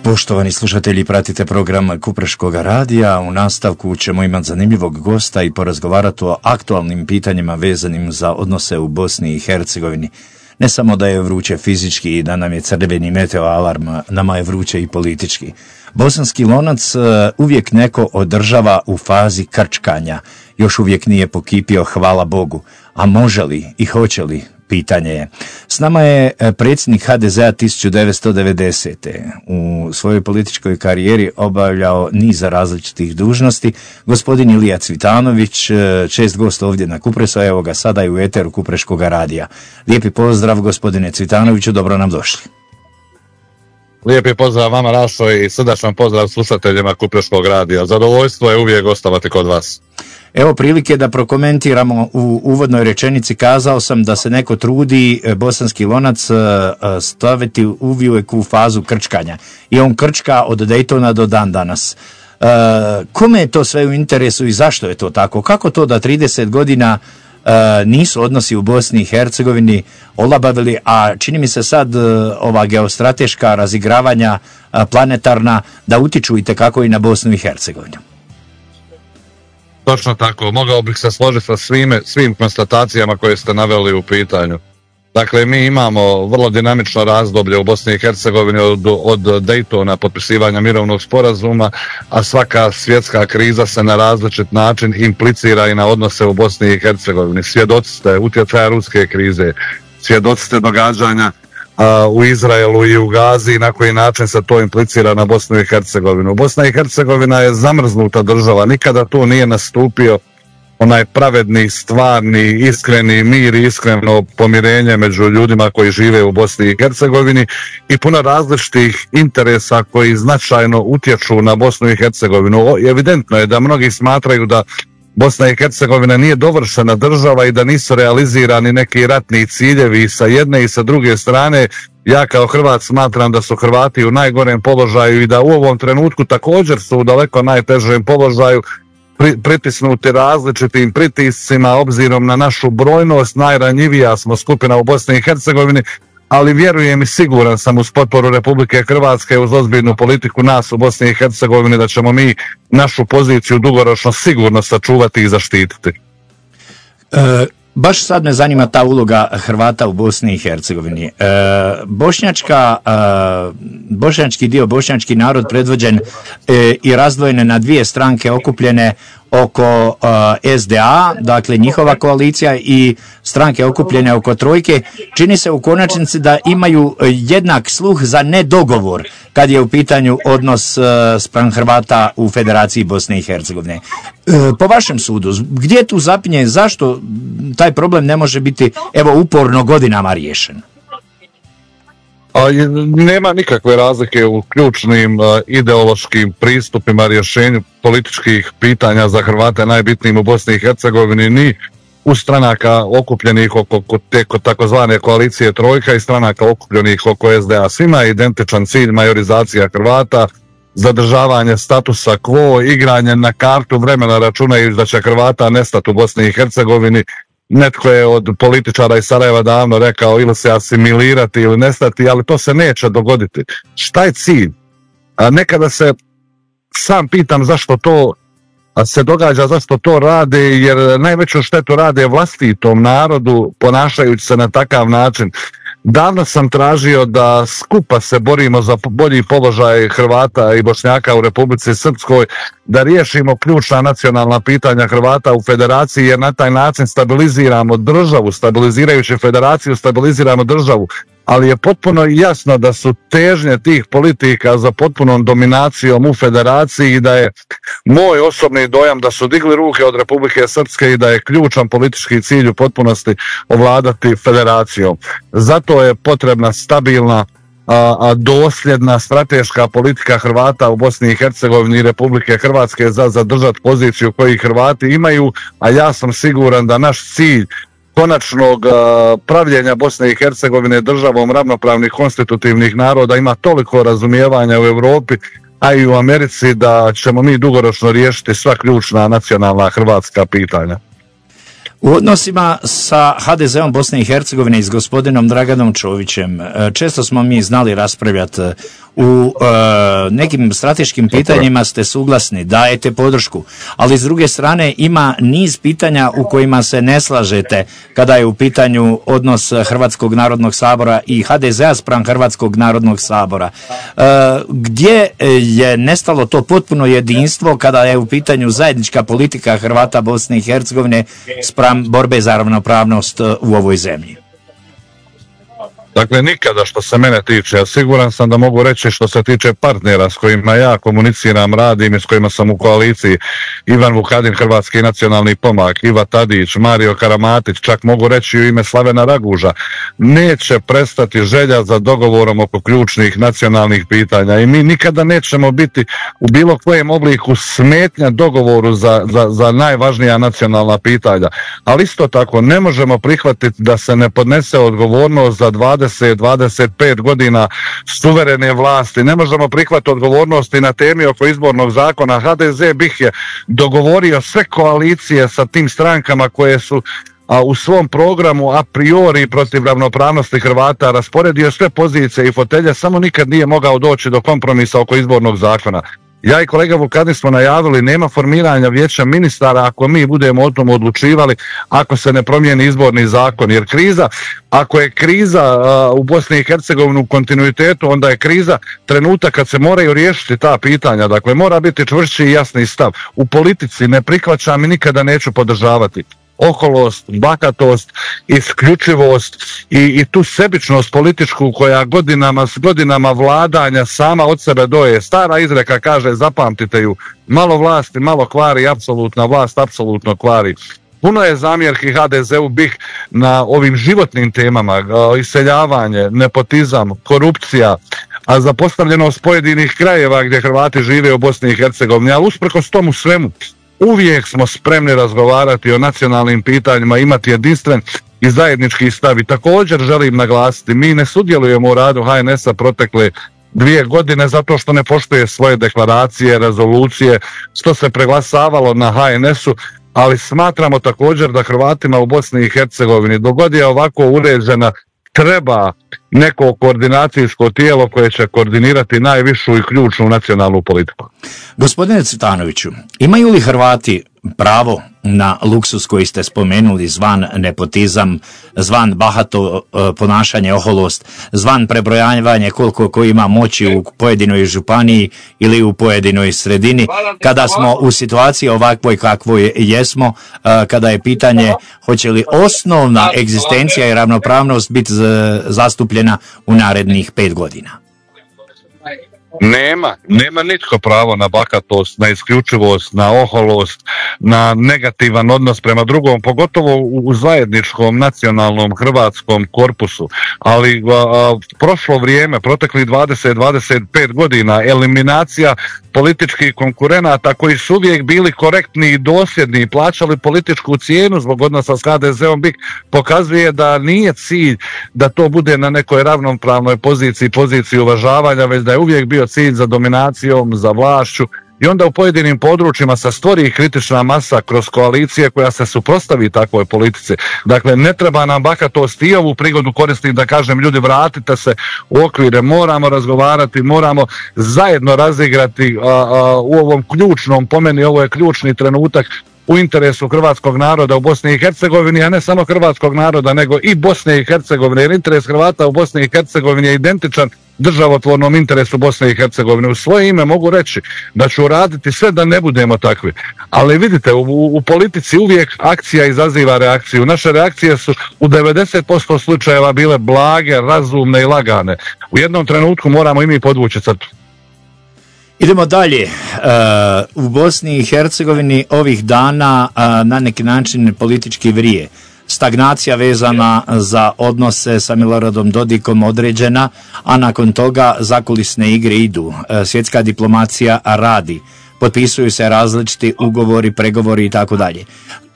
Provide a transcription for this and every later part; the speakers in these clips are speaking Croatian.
Poštovani slušatelji, pratite program Kupreškog radija. U nastavku ćemo imati zanimljivog gosta i porazgovarati o aktualnim pitanjima vezanim za odnose u Bosni i Hercegovini. Ne samo da je vruće fizički i da nam je crveni meteo alarm, nama je vruće i politički. Bosanski lonac uvijek neko održava u fazi krčkanja. Još uvijek nije pokipio, hvala Bogu. A može li i hoće li? Pitanje je. S nama je predsjednik HDZ-a 1990. U svojoj političkoj karijeri obavljao niza različitih dužnosti. Gospodin Ilija Cvitanović, čest gost ovdje na Kupresu, evo ga sada i u eteru Kupreškog radija. Lijepi pozdrav gospodine Cvitanoviću, dobro nam došli. Lijepi pozdrav vama, Rašo, i srdačan pozdrav slušateljima Kupreškog radija. Zadovoljstvo je uvijek gostovati kod vas. Evo prilike da prokomentiramo. U uvodnoj rečenici kazao sam da se neko trudi bosanski lonac staviti uvijek u fazu krčkanja. I on krčka od Daytona do dan danas. Kome je to sve u interesu i zašto je to tako? Kako to da 30 godina nisu odnosi u Bosni i Hercegovini olabavili, a čini mi se sad ova geostrateška razigravanja planetarna da utiču itekako i na Bosnu i Hercegovinu? Točno tako, mogao bih se složiti sa svim konstatacijama koje ste naveli u pitanju. Dakle, mi imamo vrlo dinamično razdoblje u Bosni i Hercegovini od Daytona, potpisivanja mirovnog sporazuma, a svaka svjetska kriza se na različit način implicira i na odnose u Bosni i Hercegovini. Svjedoci ste utjecaja ruske krize, svjedoci ste događanja u Izraelu i u Gazi i na koji način se to implicira na Bosnu i Hercegovinu. Bosna i Hercegovina je zamrznuta država, nikada tu nije nastupio onaj pravedni, stvarni, iskreni mir i iskreno pomirenje među ljudima koji žive u Bosni i Hercegovini i puno različitih interesa koji značajno utječu na Bosnu i Hercegovinu. Evidentno je da mnogi smatraju da Bosna i Hercegovina nije dovršena država i da nisu realizirani neki ratni ciljevi sa jedne i sa druge strane. Ja kao Hrvat smatram da su Hrvati u najgorem položaju i da u ovom trenutku također su u daleko najtežem položaju, pritisnuti različitim pritiscima obzirom na našu brojnost. Najranjivija smo skupina u Bosni i Hercegovini, ali vjerujem i siguran sam uz potporu Republike Hrvatske, uz ozbiljnu politiku nas u Bosni i Hercegovini, da ćemo mi našu poziciju dugoročno sigurno sačuvati i zaštititi. Baš sad me zanima ta uloga Hrvata u Bosni i Hercegovini. Bošnjački dio, bošnjački narod predvođen i razdvojene na dvije stranke okupljene oko SDA, dakle njihova koalicija, i stranke okupljene oko trojke, čini se u konačnici da imaju jednak sluh za nedogovor kad je u pitanju odnos spram Hrvata u Federaciji Bosne i Hercegovine. Po vašem sudu, gdje tu zapinje, zašto taj problem ne može biti uporno godinama riješen? Nema nikakve razlike u ključnim ideološkim pristupima rješenju političkih pitanja za Hrvate najbitnijim u Bosni i Hercegovini, ni u stranaka okupljenih oko takozvane koalicije trojka i stranaka okupljenih oko SDA. Svima je identičan cilj majorizacija Hrvata, zadržavanje statusa quo, igranje na kartu vremena računajući da će Hrvata nestati u Bosni i Hercegovini. Netko je od političara iz Sarajeva davno rekao ili se asimilirati ili nestati, ali to se neće dogoditi. Šta je cilj? Nekada se sam pitam zašto to se događa, zašto to rade, jer najveću štetu rade vlastitom narodu ponašajući se na takav način. Davno sam tražio da skupa se borimo za bolji položaj Hrvata i Bošnjaka u Republici Srpskoj, da riješimo ključna nacionalna pitanja Hrvata u Federaciji, jer na taj način stabiliziramo državu, stabilizirajući Federaciju stabiliziramo državu. Ali je potpuno jasno da su težnje tih politika za potpunom dominacijom u Federaciji i da je moj osobni dojam da su digli ruke od Republike Srpske i da je ključan politički cilj u potpunosti ovladati Federacijom. Zato je potrebna stabilna, dosljedna strateška politika Hrvata u Bosni i Hercegovini i Republike Hrvatske za zadržati poziciju koju Hrvati imaju, a ja sam siguran da naš cilj konačnog pravljenja Bosne i Hercegovine državom ravnopravnih konstitutivnih naroda ima toliko razumijevanja u Europi, a i u Americi, da ćemo mi dugoročno riješiti sva ključna nacionalna hrvatska pitanja. U odnosima sa HDZ-om Bosne i Hercegovine i s gospodinom Draganom Čovićem često smo mi znali raspravljati U nekim strateškim pitanjima ste suglasni, dajete podršku, ali s druge strane ima niz pitanja u kojima se ne slažete kada je u pitanju odnos Hrvatskog narodnog sabora i HDZ-a spram Hrvatskog narodnog sabora. Gdje je nestalo to potpuno jedinstvo kada je u pitanju zajednička politika Hrvata Bosne i Hercegovine spram borbe za ravnopravnost u ovoj zemlji? Dakle, nikada što se mene tiče, ja siguran sam da mogu reći što se tiče partnera s kojima ja komuniciram, radim i s kojima sam u koaliciji, Ivan Vukadin, Hrvatski nacionalni pomak, Iva Tadić, Mario Karamatić, čak mogu reći u ime Slavena Raguža, neće prestati želja za dogovorom oko ključnih nacionalnih pitanja i mi nikada nećemo biti u bilo kojem obliku smetnja dogovoru za najvažnija nacionalna pitanja. Ali isto tako ne možemo prihvatiti da se ne podnese odgovornost za 20-25 godina suverene vlasti. Ne možemo prihvatiti odgovornosti na temi oko izbornog zakona. HDZ bih je dogovorio sve koalicije sa tim strankama koje su u svom programu a priori protiv ravnopravnosti Hrvata, rasporedio sve pozicije i fotelje, samo nikad nije mogao doći do kompromisa oko izbornog zakona. Ja i kolega Vukadin smo najavili, nema formiranja vijeća ministara ako mi budemo o tom odlučivali, ako se ne promijeni izborni zakon. Jer kriza, ako je kriza u Bosni i Hercegovini u kontinuitetu, onda je kriza trenutak kad se moraju riješiti ta pitanja. Dakle, mora biti čvršći i jasni stav. U politici ne prihvaćam i nikada neću podržavati oholost, bahatost, isključivost i tu sebičnost političku koja godinama vladanja sama od sebe doje. Stara izreka kaže, zapamtite ju, malo vlasti, malo kvari, apsolutna vlast, apsolutno kvari. Puno je zamjerki HDZ-u bih na ovim životnim temama, iseljavanje, nepotizam, korupcija, a zapostavljenost pojedinih krajeva gdje Hrvati žive u Bosni i Hercegovini, ali usprkos tomu svemu, uvijek smo spremni razgovarati o nacionalnim pitanjima, imati jedinstven i zajednički stav. I također želim naglasiti, mi ne sudjelujemo u radu HNS-a protekle 2 godine zato što ne poštuje svoje deklaracije, rezolucije, što se preglasavalo na HNS-u, ali smatramo također da Hrvatima u Bosni i Hercegovini, dok god je ovako uređena, treba neko koordinacijsko tijelo koje će koordinirati najvišu i ključnu nacionalnu politiku. Gospodine Cvitanoviću, imaju li Hrvati pravo na luksus koji ste spomenuli, zvan nepotizam, zvan bahato ponašanje, oholost, zvan prebrojavanje koliko ko ima moći u pojedinoj županiji ili u pojedinoj sredini, kada smo u situaciji ovakvoj kakvoj jesmo, kada je pitanje hoće li osnovna egzistencija i ravnopravnost biti zastupljena u narednih 5 godina? Nema nitko pravo na bahatost, na isključivost, na oholost, na negativan odnos prema drugom, pogotovo u zajedničkom nacionalnom hrvatskom korpusu. Ali prošlo vrijeme, proteklih 20-25 godina, eliminacija političkih konkurenata koji su uvijek bili korektni i dosljedni i plaćali političku cijenu zbog odnosa s HDZ-om, pokazuje da nije cilj da to bude na nekoj ravnopravnoj poziciji uvažavanja, već da je uvijek bio cilj za dominacijom, za vlašću, i onda u pojedinim područjima se stvori kritična masa kroz koalicije koja se suprotstavi takvoj politici. Dakle, ne treba nam bahatost, i ovu prigodu koristim da kažem, ljudi, vratite se u okvire, moramo razgovarati, moramo zajedno razigrati u ovom ključnom, po meni ovo je ključni trenutak, u interesu hrvatskog naroda u Bosni i Hercegovini, a ne samo hrvatskog naroda, nego i Bosne i Hercegovine, jer interes Hrvata u Bosni i Hercegovini je identičan državotvornom interesu Bosne i Hercegovine. U svoje ime mogu reći da ću raditi sve da ne budemo takvi. Ali vidite, u politici uvijek akcija izaziva reakciju. Naše reakcije su u 90% slučajeva bile blage, razumne i lagane. U jednom trenutku moramo i mi podvući crtu. Idemo dalje. U Bosni i Hercegovini ovih dana na neki način politički vrije. Stagnacija vezana za odnose sa Miloradom Dodikom određena, a nakon toga zakulisne igre idu. Svjetska diplomacija radi. Potpisuju se različiti ugovori, pregovori i tako dalje.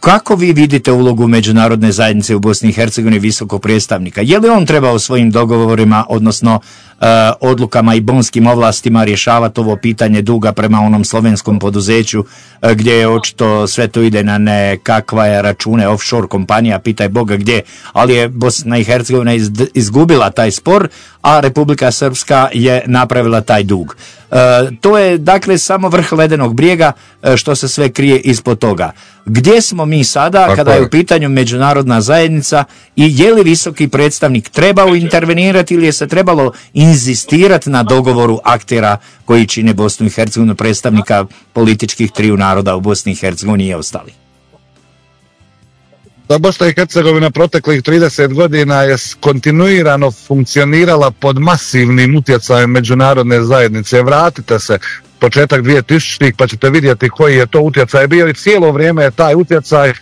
Kako vi vidite ulogu međunarodne zajednice u Bosni i Hercegovini visokog predstavnika? Je li on trebao svojim dogovorima, odnosno odlukama i bonskim ovlastima rješavati ovo pitanje duga prema onom slovenskom poduzeću gdje je očito sve to ide na nekakve račune offshore kompanija, pitaj Boga gdje, ali je Bosna i Hercegovina izgubila taj spor, a Republika Srpska je napravila taj dug. To je dakle samo vrh ledenog brijega što se sve krije ispod toga. Gdje smo mi sada kada je u pitanju međunarodna zajednica i je li visoki predstavnik trebao intervenirati ili je se trebalo inzistirati na dogovoru aktera koji čine Bosnu i Hercegovinu, predstavnika političkih triju naroda u Bosni i Hercegovini i ostali? Da, Bosna i Hercegovina proteklih 30 godina je kontinuirano funkcionirala pod masivnim utjecajem međunarodne zajednice. Vratite se početak 2000-ih pa ćete vidjeti koji je to utjecaj bio i cijelo vrijeme je taj utjecaj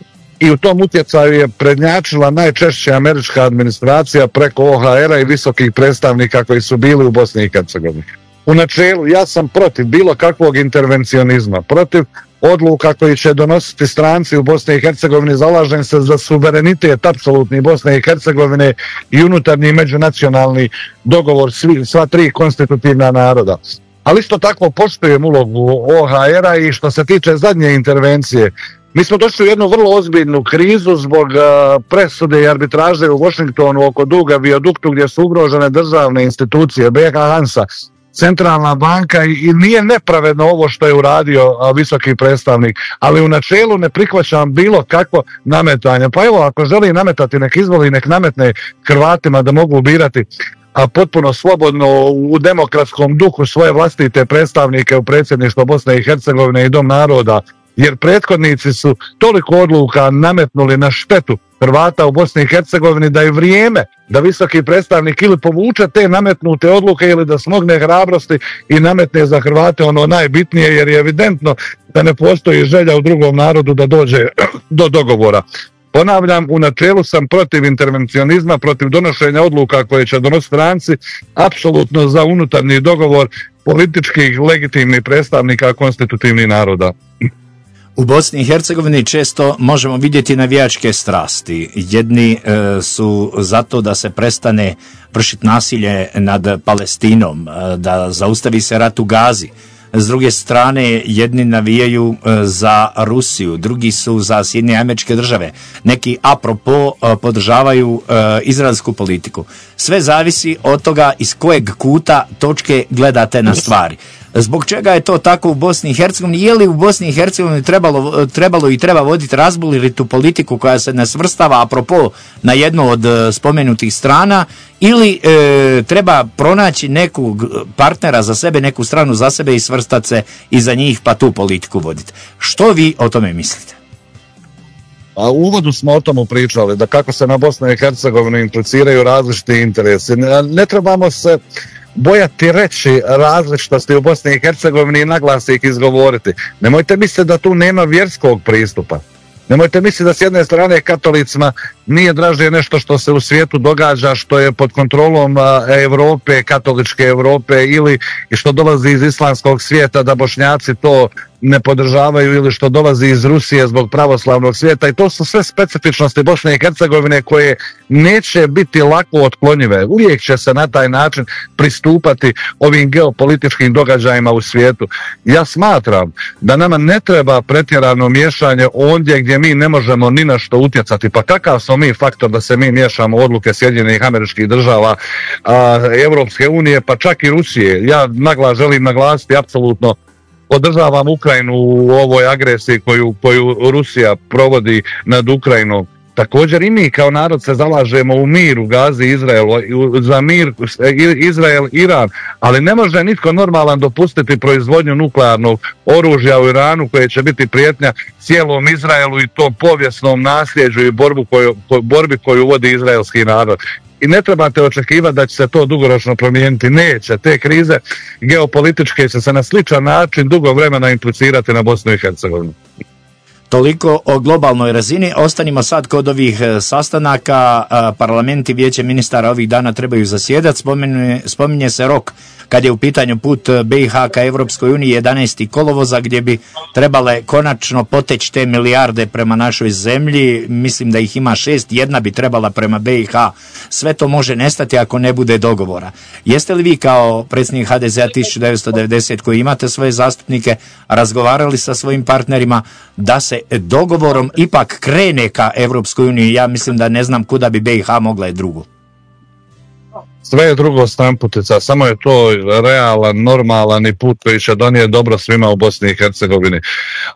i u tom utjecaju je prednjačila najčešće američka administracija preko OHR-a i visokih predstavnika koji su bili u Bosni i Hercegovini. U načelu ja sam protiv bilo kakvog intervencionizma, protiv odluka koji će donositi stranci u Bosni i Hercegovini, zalažem se za suverenitet apsolutni Bosne i Hercegovine i unutarnji međunacionalni dogovor sva tri konstitutivna naroda. Ali isto tako poštujem ulogu OHR-a i što se tiče zadnje intervencije. Mi smo došli u jednu vrlo ozbiljnu krizu zbog presude i arbitraže u Washingtonu oko duga viaduktu gdje su ugrožene državne institucije, BiH Hansa, Centralna banka i nije nepravedno ovo što je uradio visoki predstavnik, ali u načelu ne prihvaćam bilo kakvo nametanje. Pa evo, ako želi nametati, nek izvoli, nek nametne Hrvatima da mogu birati a potpuno slobodno u demokratskom duhu svoje vlastite predstavnike u predsjedništvo Bosne i Hercegovine i Dom naroda, jer prethodnici su toliko odluka nametnuli na štetu Hrvata u Bosni i Hercegovini da je vrijeme da visoki predstavnik ili povuče te nametnute odluke ili da smogne hrabrosti i nametne za Hrvate ono najbitnije, jer je evidentno da ne postoji želja u drugom narodu da dođe do dogovora. Ponavljam, u načelu sam protiv intervencionizma, protiv donošenja odluka koje će donositi stranci, apsolutno za unutarnji dogovor političkih legitimnih predstavnika konstitutivnih naroda. U Bosni i Hercegovini često možemo vidjeti navijačke strasti. Jedni su zato da se prestane vršiti nasilje nad Palestinom, da zaustavi se rat u Gazi. S druge strane, jedni navijaju za Rusiju, drugi su za Sjedinjene Američke Države. Neki apropo podržavaju izraelsku politiku. Sve zavisi od toga iz kojeg kuta točke gledate na stvari. Zbog čega je to tako u Bosni i Hercegovini? Je li u Bosni i Hercegovini trebalo i treba voditi razbolitu politiku koja se ne svrstava apropo na jednu od spomenutih strana, ili treba pronaći nekog partnera za sebe, neku stranu za sebe i svrstati se iza njih pa tu politiku voditi? Što vi o tome mislite? A u uvodu smo o tomu pričali, da kako se na Bosnu i Hercegovinu impliciraju različiti interesi. Ne trebamo se bojati reći različitosti u Bosni i Hercegovini i naglas ih izgovoriti. Nemojte misliti da tu nema vjerskog pristupa. Nemojte misliti da s jedne strane katolicima nije draže nešto što se u svijetu događa, što je pod kontrolom Europe, katoličke Europe, ili što dolazi iz islamskog svijeta, da Bošnjaci to ne podržavaju, ili što dolazi iz Rusije zbog pravoslavnog svijeta. I to su sve specifičnosti Bosne i Hercegovine koje neće biti lako otklonjive. Uvijek će se na taj način pristupati ovim geopolitičkim događajima u svijetu. Ja smatram da nama ne treba pretjerano miješanje ondje gdje mi ne možemo ni na što utjecati. Pa kakav smo mi faktor da se mi miješamo u odluke Sjedinjenih Američkih Država, Europske unije, pa čak i Rusije. Ja želim naglasiti, apsolutno podržavam Ukrajinu u ovoj agresiji koju Rusija provodi nad Ukrajinom. Također i mi kao narod se zalažemo u mir u Gazi, Izraelu, za mir Izrael-Iran, ali ne može nitko normalan dopustiti proizvodnju nuklearnog oružja u Iranu koje će biti prijetnja cijelom Izraelu i tom povijesnom nasljeđu i borbi koju vodi izraelski narod. I ne trebate očekivati da će se to dugoročno promijeniti. Neće. Te krize geopolitičke će se na sličan način dugo vremena implicirati na Bosnu i Hercegovinu. Toliko o globalnoj razini. Ostanimo sad kod ovih sastanaka. Parlamenti Vijeće ministara ovih dana trebaju zasjedati. Spominje se rok kad je u pitanju put BiH ka Evropskoj uniji 11. kolovoza, gdje bi trebale konačno poteći te milijarde prema našoj zemlji. Mislim da ih ima 6, jedna bi trebala prema BiH. Sve to može nestati ako ne bude dogovora. Jeste li vi kao predsjednik HDZ-a 1990 koji imate svoje zastupnike razgovarali sa svojim partnerima da se dogovorom ipak krene ka Evropskoj uniji? Ja mislim da ne znam kuda bi BiH mogla je drugo. Sve je drugo stranputica, samo je to realan, normalan i put koji će donijeti dobro svima u Bosni i Hercegovini.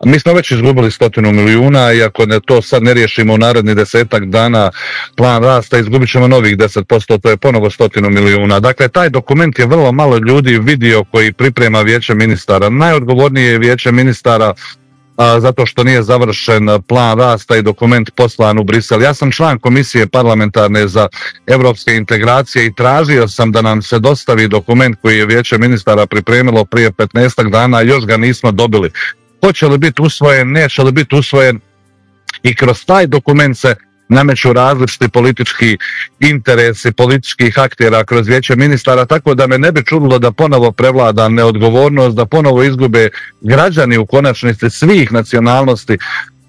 Mi smo već izgubili 100 milijuna i ako to sad ne riješimo u narednih 10 dana plan rasta, izgubit ćemo novih 10%, to je ponovo 100 milijuna. Dakle, taj dokument je vrlo malo ljudi vidio koji priprema Vijeće ministara. Najodgovornije je Vijeće ministara zato što nije završen plan rasta i dokument poslan u Brisel. Ja sam član komisije parlamentarne za europske integracije i tražio sam da nam se dostavi dokument koji je Vijeće ministara pripremilo prije 15 dana, još ga nismo dobili. Hoće li biti usvojen, neće li biti usvojen, i kroz taj dokument se nameću različiti politički interesi političkih aktera kroz Vijeće ministara, tako da me ne bi čudilo da ponovo prevlada neodgovornost, da ponovo izgube građani u konačnici svih nacionalnosti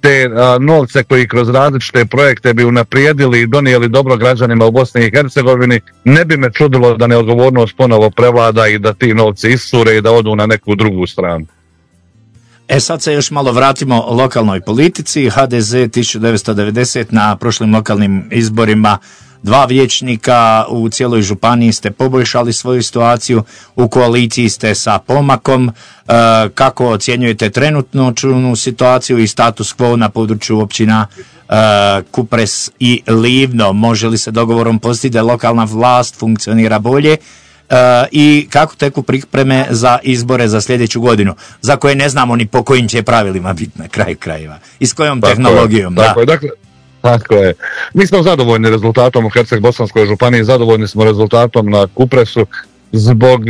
te novce koji kroz različite projekte bi unaprijedili i donijeli dobro građanima u Bosni i Hercegovini. Ne bi me čudilo da neodgovornost ponovo prevlada i da ti novci iscure i da odu na neku drugu stranu. Sad se još malo vratimo lokalnoj politici. HDZ 1990 na prošlim lokalnim izborima 2 vijećnika, u cijeloj županiji ste poboljšali svoju situaciju, u koaliciji ste sa Pomakom. Kako ocjenjujete trenutnu situaciju i status quo na području općina Kupres i Livno? Može li se dogovorom postići da lokalna vlast funkcionira bolje? I kako teku pripreme za izbore za sljedeću godinu, za koje ne znamo ni po kojim će pravilima biti na kraju krajeva i s kojom tehnologijom. Tako je. Mi smo zadovoljni rezultatom u Herceg-Bosanskoj županiji, zadovoljni smo rezultatom na Kupresu zbog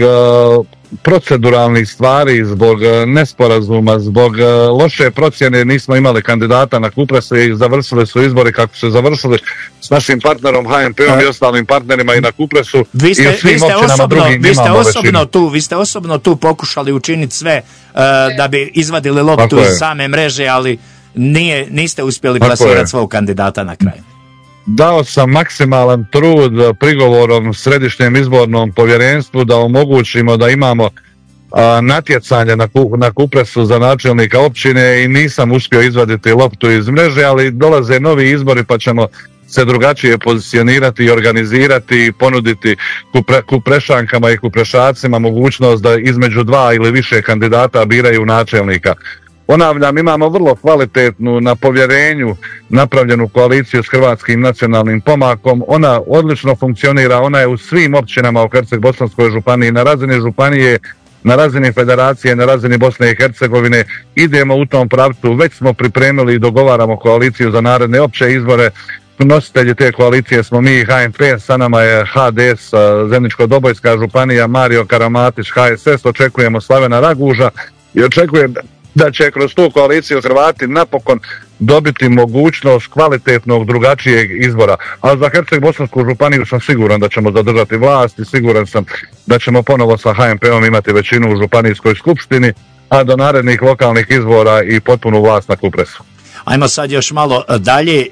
proceduralnih stvari, zbog nesporazuma, zbog loše procjene. Nismo imali kandidata na Kupresu i završili su izbori kako su završili s našim partnerom HMP-om i ostalim partnerima i na Kupresu. Vi ste osobno tu pokušali učiniti sve da bi izvadili loptu iz same mreže, ali niste uspjeli plasirati svog kandidata na kraju. Dao sam maksimalan trud prigovorom Središnjem izbornom povjerenstvu da omogućimo da imamo natjecanje na Kupresu za načelnika općine i nisam uspio izvaditi loptu iz mreže, ali dolaze novi izbori pa ćemo se drugačije pozicionirati i organizirati i ponuditi Kuprešankama i Kuprešacima mogućnost da između 2 ili više kandidata biraju načelnika. Ponavljam, imamo vrlo kvalitetnu, na povjerenju napravljenu koaliciju s Hrvatskim nacionalnim pomakom. Ona odlično funkcionira, ona je u svim općinama u Herceg-Bosanskoj županiji, na razini županije, na razini federacije, na razini Bosne i Hercegovine. Idemo u tom pravcu, već smo pripremili i dogovaramo koaliciju za naredne opće izbore. Nositelji te koalicije smo mi i HMP, sa nama je HDS, Zeničko-Dobojska županija, Mario Karamatić, HSS, očekujemo Slavena Raguža i očekujem da će kroz tu koaliciju Hrvati napokon dobiti mogućnost kvalitetnog drugačijeg izbora. A za Herceg-Bosansku županiju sam siguran da ćemo zadržati vlast i siguran sam da ćemo ponovo sa HMP-om imati većinu u županijskoj skupštini, a do narednih lokalnih izbora i potpunu vlast na Kupresu. Ajmo sad još malo dalje,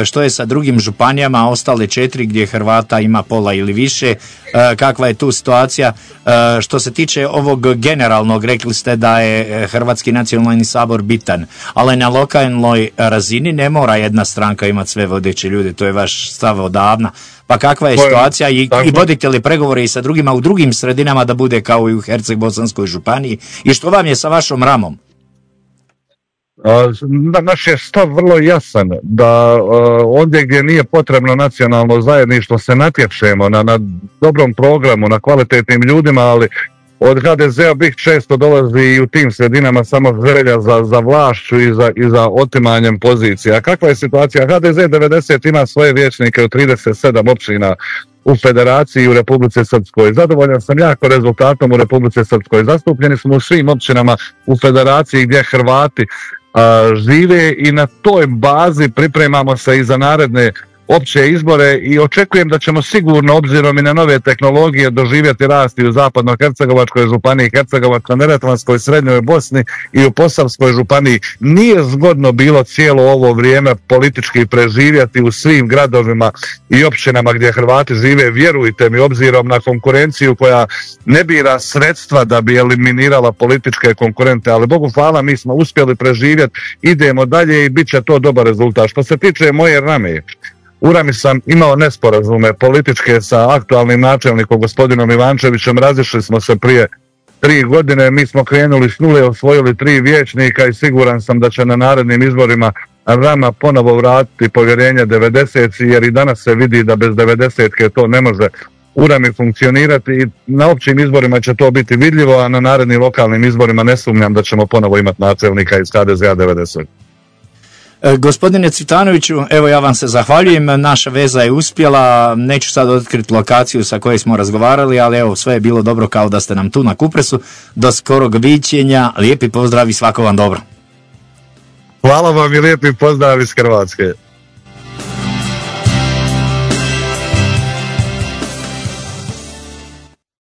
što je sa drugim županijama, ostale 4 gdje Hrvata ima pola ili više, kakva je tu situacija? Što se tiče ovog generalnog, rekli ste da je Hrvatski nacionalni sabor bitan, ali na lokalnoj razini ne mora jedna stranka imati sve vodeće ljude, to je vaš stav odavna. Pa kakva je situacija i vodite li pregovore i sa drugima u drugim sredinama da bude kao i u Herceg-Bosanskoj županiji i što vam je sa vašom Ramom? Naš je stav vrlo jasan da ondje gdje nije potrebno nacionalno zajedništvo se natječemo na dobrom programu, na kvalitetnim ljudima, ali od HDZ-a bih često dolazi i u tim sredinama samo želja za vlašću i za otimanjem pozicija. A kakva je situacija? HDZ 90 ima svoje vijećnike u 37 općina u Federaciji i u Republici Srpskoj. Zadovoljan sam jako rezultatom u Republici Srpskoj. Zastupljeni smo u svim općinama u Federaciji gdje Hrvati žive i na toj bazi pripremamo se i za naredne opće izbore i očekujem da ćemo sigurno, obzirom i na nove tehnologije, doživjeti rast i u Zapadno-hercegovačkoj županiji, Hercegovačko-neretvanskoj, Srednjoj Bosni i u Posavskoj županiji. Nije zgodno bilo cijelo ovo vrijeme politički preživjeti u svim gradovima i općinama gdje Hrvati žive. Vjerujte mi, obzirom na konkurenciju koja ne bira sredstva da bi eliminirala političke konkurente, ali Bogu hvala, mi smo uspjeli preživjeti, idemo dalje i bit će to dobar rezultat. Što se tiče moje Rame, u Rami sam imao nesporazume političke sa aktualnim načelnikom gospodinom Ivančevićem, razišli smo se prije 3 godine, mi smo krenuli s nule, osvojili 3 vijećnika i siguran sam da će na narednim izborima Rama ponovo vratiti povjerenje 90, jer i danas se vidi da bez 90-ke to ne može u Rami funkcionirati i na općim izborima će to biti vidljivo, a na narednim lokalnim izborima ne sumnjam da ćemo ponovo imati načelnika iz HDZ-a 90. Gospodine Cvitanoviću, evo ja vam se zahvaljujem, naša veza je uspjela, neću sad otkriti lokaciju sa kojoj smo razgovarali, ali evo sve je bilo dobro kao da ste nam tu na Kupresu. Do skorog viđenja, lijepi pozdrav i svako vam dobro. Hvala vam i lijepi pozdrav iz Hrvatske.